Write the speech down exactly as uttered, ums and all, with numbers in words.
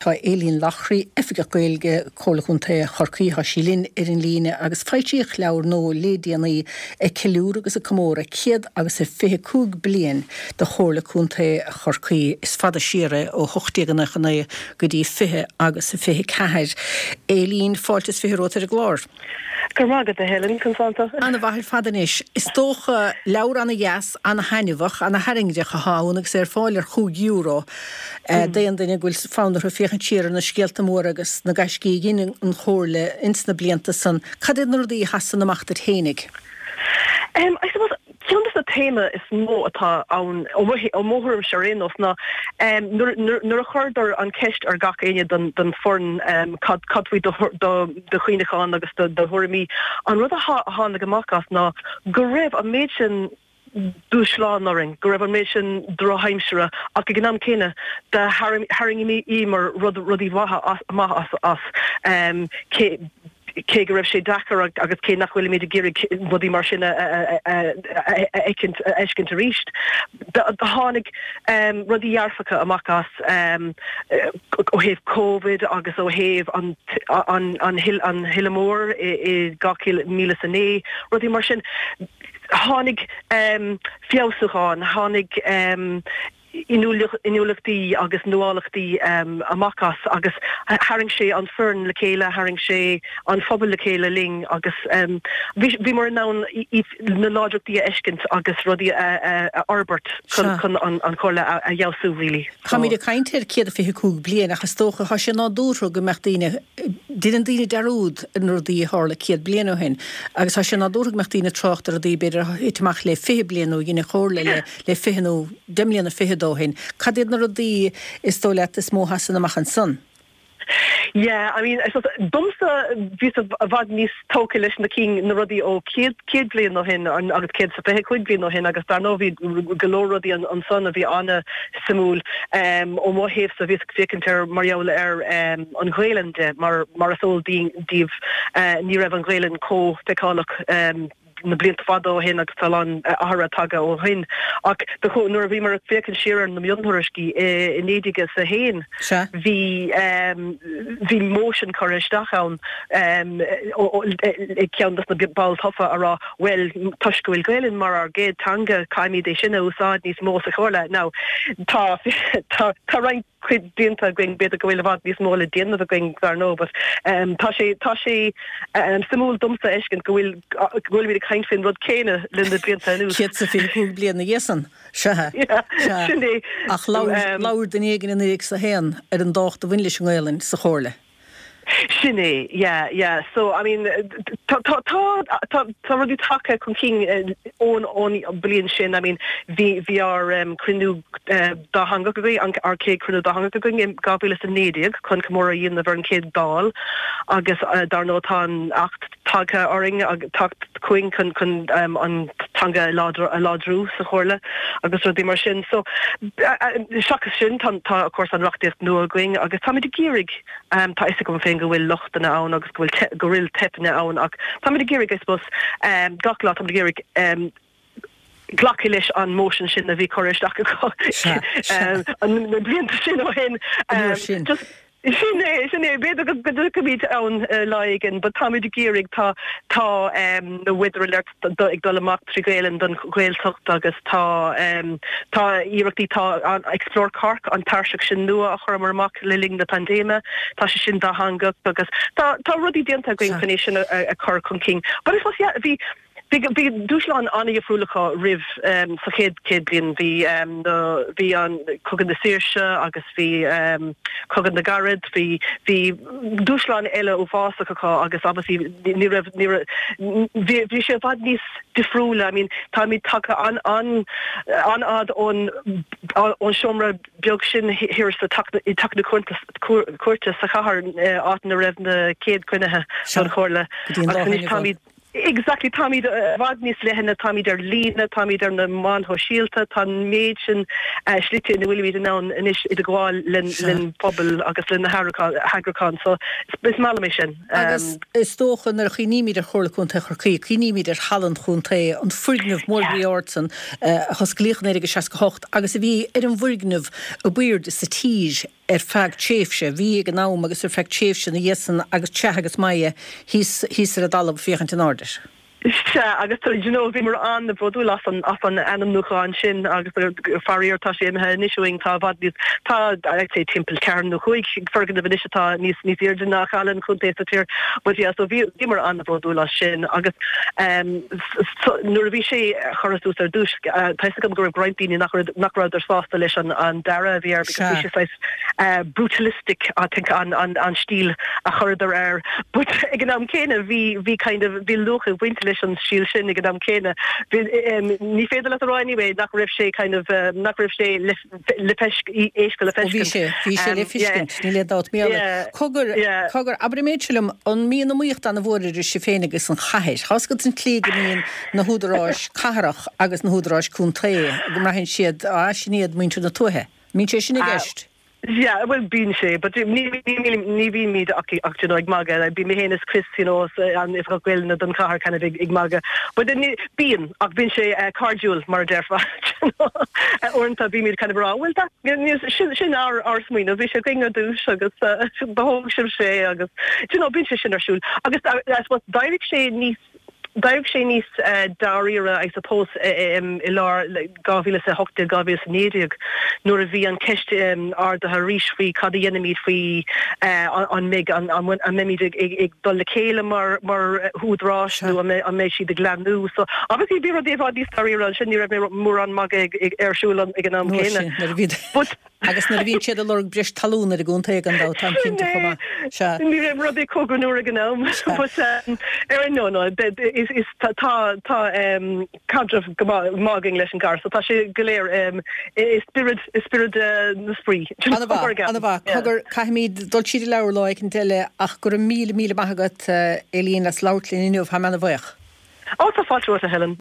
Tá Aileen Loughrey, Oifigeach Gaeilge, Comhairle Contae Chorcaí, tá sí linn ar an líne agus foilsíodh leabhar nua le déanaí ag ceiliúradh agus ag comóradh céad agus a fiche cúig bliain de Chomhairle Contae Chorcaí. Is fada siar é ó hocht déag nócha naoi go dtí fiche agus a fiche ceathair. Aileen, fáilte is fiche romhat ar an gclár. Go raibh maith agat, a Helen, conas tánn tú. Ana-mhaith ar fad anois. Is dócha leabhar ana-dheas, ana-thaitneamhach, ana-thairngreach atá ann agus é ar fáil ar chúig euro d'aon duine go bhfuil fonn orthu féachaint siar ar na scéalta móra agus na gaiscí a dhein an Chomhairle ins na blianta san. Cad iad na rudaí a sheasann amach duit fhéinig? Um, I suppose ceann de na téama is mó atá ann ó mo thuairimse ar aon nós ná um, nuair a chuireadar an ceist ar gach éinne den den foireann um, cad cad faoi do do do chuimhneachán agus do do thuairimí an rud a tháinig amach as ná go raibh an méid sin dúshlán orainn, go raibh an méid sin drochaimsire ach ag an am céanna de tharraingíomar rud rudaí maithe amach as as um, cé cé go raibh sé deacair agus cé nach bhfuilimid ag iarraidh rudaí mar sin a fheiscint arís. Tháinig um, rudaí dearfacha amach as um, ó thaobh COVID agus ó thaobh an, an, an, an thuile mór i, i dhá mhíle is a naoi, rudaí mar sin. Tháinig um, feabhsúchán, tháinig um, inniúlachtaí agus nuálachtaí um, amach as agus tharraing sé an foireann le chéile, tharraing sé an phobal le chéile linn agus um, bhí mar ann na láidreachtaí a fheiscint agus rudaí a fhorbairt chun an chomhairle a fheabhsú really. Táimid ag caint ar céad fiche cúig bliain ach is dócha tá sé nádúrtha go mbeadh daoine déanann daoine dearúd ar na rudaí a tharla céad bliain ó shin agus tá sé nádúrtha go mbeadh daoine trácht ar rudaí b'fhéidir a thit amach le fiche bliain nó dhein an chomhairle le le fiche nó deich mbliana fichead ó shin. Cad iad na rudaí is dóigh leat is mó a sheasann amach ansan? Yeah, I mean, domsa bhí i bhfad níos tógtha leis na cinn na rudaí ó céad céad bliain ó shin agus céad is fiche cúig bliain ó shin agus dar ndóigh bhí go leor rudaí ansan a bhí an-suimiúil um, ó mo thaobhsa bhíos ag féachaint ar mar gheall ar um, an Ghaelainn de mar mar is eol daoibh uh, ní raibh an Ghaelainn chomh feiceálach um, na blianta fada ó shin agus tá an-athrú tagtha ó shin ach nuair a bhíomar ag féachaint siar ar na miontuairiscí i naoi déag is a haon bhí bhí motion curtha isteach ann ag ceann de na baill tofa a rá well toisc go bhfuil Gaelainn mar ár gcéad teanga caithfimid é sin a úsáid níos mó sa chomhairle. Now tá tá tá roinnt cuid déanta againn b'fhéidir go bhfuil i bhfad níos mó le déanamh againn dar ndóigh but um, tá sé tá sé um, suimiúil domsa fheiscint go bhfuil go bhfuilimid ag caint faoin rud céanna le na blianta anuas. Céad is fiche cúig bliain ina dhiaidh san sea Sin é ach labhair duine éigin in naoi déag is a haon ar an dtábhacht a bhain leis an nGaelainn sa chomhairle. Sin é, yeah, yeah. So I mean tá tá tá tá rudaí tagtha chun cinn ón ón bliain sin I mean bhí bhí ár um, cruinniú uh, dátheangach againn an ár céad cruinniú dátheangach againn in dhá mhíle is a naoi déag chun comóradh a dhéanamh ar an céad Dáil agus uh, dar ndóigh tá an acht tagtha orainn ag teacht chugainn chun chun um, an teanga a láidriú sa chomhairle agus rudaí mar sin. So seachas sin tá tá of course an reachtaíocht nua againn agus táimid ag iarraidh um, tá fhios agam féin go bhfuil lochtanna ann agus go bhfuil go bhfuil teipeanna ann ach táimid ag iarraidh I suppose um, gach lá táimid ag iarraidh um, glacadh leis an motion sin a bhí curtha isteach um, na blianta sin ó shin um, just Sin é sin é b'fhéidir go dtiocfaimid ann lá éigin, but táimid ag iarraidh tá tá um, na weather alert ag dul amach trí Ghaelainn don Ghaeltacht agus tá um, tá iarrachtaí tá an Explore Cork an tairseach sin nua a chuireamar amach le linn na paindéime, tá sé sin dátheangach agus tá tá rudaí déanta againn chun é sin a, a chur chun cinn. But I suppose yeah, bhí Bhí bhí dúshlán an-difriúlacha roimh um, sa chéad céad bliain bhí um, bhí an Cogadh na Saoirse agus bhí um, Cogadh na gCarad, bhí bhí dúshlán eile uafásach acu agus obviously ní raibh ní bhí bhí sé i bhfad níos difriúla, I mean táimid tagtha an an an-fhad ón ón seomra beag sin thiar sa i dteach na cúirte sa chathair áit ina raibh na céad cruinnithe don chomhairle agus anois táimid Exactly táimid i bhfad níos leithne, táimid ar líne, táimid ar na meáin shóisialta, tá an méid sin slite ina bhfuilimid in ann anois idirghabháil len pobal agus le na heagrúcháin so is maith liom é sin. Agus is dócha nuair a chuimhnímid ar Chomhairle Contae Chorcaí, cuimhnímid ar Halla an Chontae, an foirgneamh mór groí ard san a hosclaíodh in naoi déag seasca hocht agus a bhí ar an bhfoirgneamh ab airde sa tír. ar feadh tréimhse, bhí ag an am agus ar feadh tréimhse ina dhiaidh san agus teach agus maidhe thíos thíos ar an dtalamh féachaint in airde air. Sea, agus do you know bhíomar an-bhródúil as an as an ainmniúchán sin agus faraor tá sé imithe anois uainn, tá i bhfad níos, tá I'd say timpeall ceathair nó cúig foirgneamh anois atá níos níos airde ná Caladh an Chontae sa tír. But yeah, so bhí bhíomar an-bhródúil as sin agus um so nuair a bhí sé curtha suas ar dtús tá fhios agam go raibh roinnt daoine nach raibh nach rabhadar sásta leis an an dearadh a bhí air because bhí sé saghas uh brutalistic I think an an an stíl a chuireadar air but ag an am céanna bhí bhí kind of bhí luach ag baint leis an stíl sin ag an am céanna. Bhí ní féidir leat a rá anyway nach raibh sé kind of nach raibh sé le le éasca le Ó bhí feiscint. sé, bhí sé le Yeah. feiscint, níl aon dabht. Míle. Yeah. Cogar, Yeah. cogar, abair an méid seo liom, an mbíonn iomaíocht an-mhór idir sibh féin agus an chathair? Tá's agat an tslí go mbíonn na húdaráis cathrach agus na húdaráis contae, go mbraitheann siad, á, sin iad muintir na tuaithe. Mbíonn sé sin i Uh, gceist? Yeah, well bíonn sé, but ní ní ní bhímid ach ach you know, ag magadh like, bím mé féin is Chris you know, an Oifigeach Gaeilge don chathair kind of ag, ag magadh. But then bíonn ach bíonn sé uh, cairdiúil mar a déarfá. you know. Uh, Uaireanta bímid kind of rá, well that sin sin ár ár smaoineamh bhí sé againn ar dtús agus uh, thóg sibh sé agus you know, bíonn sé sin ar siúl. Agus uh, I suppose d'éirigh sé níos D'éirigh sé níos uh, dáiríre I suppose um, i lár dhá mhíle a hocht déag dhá mhíle a naoi déag nuair a bhí an ceist um, ardaithe arís faoi cad a dhéanfaimid faoi uh, an mbeidh an, an, an mbeimid ag, ag, ag dul le chéile mar mar húdaráis nó an mbeidh siad ag leathnú so obviously bhí rud é níos dáiríre sin ní raibh mórán magadh ag, ag ar siúl ag an am Nuair céanna. sin, nuair a bhí But agus nuair a bhíonn siad ag lorg breis talún ar an gcontae gan dabht táim cinnte chomh maith. Sea. Ní raibh rudaí chomh nuair ag an am but um, ar no no is is tá tá tá um, caidreamh go maith againn leis an gcathair so tá sé go léir um, i spiorad i spiorad uh, na spraoi. An-mhaith, an-mhaith. Cogar caithfimid dul tríd an leabhar lá éicint eile ach go raibh míle míle maith agat Eileen as labhairt linn inniu, tá mé an-bhuíoch. Ó tá fáilte romhat Helen.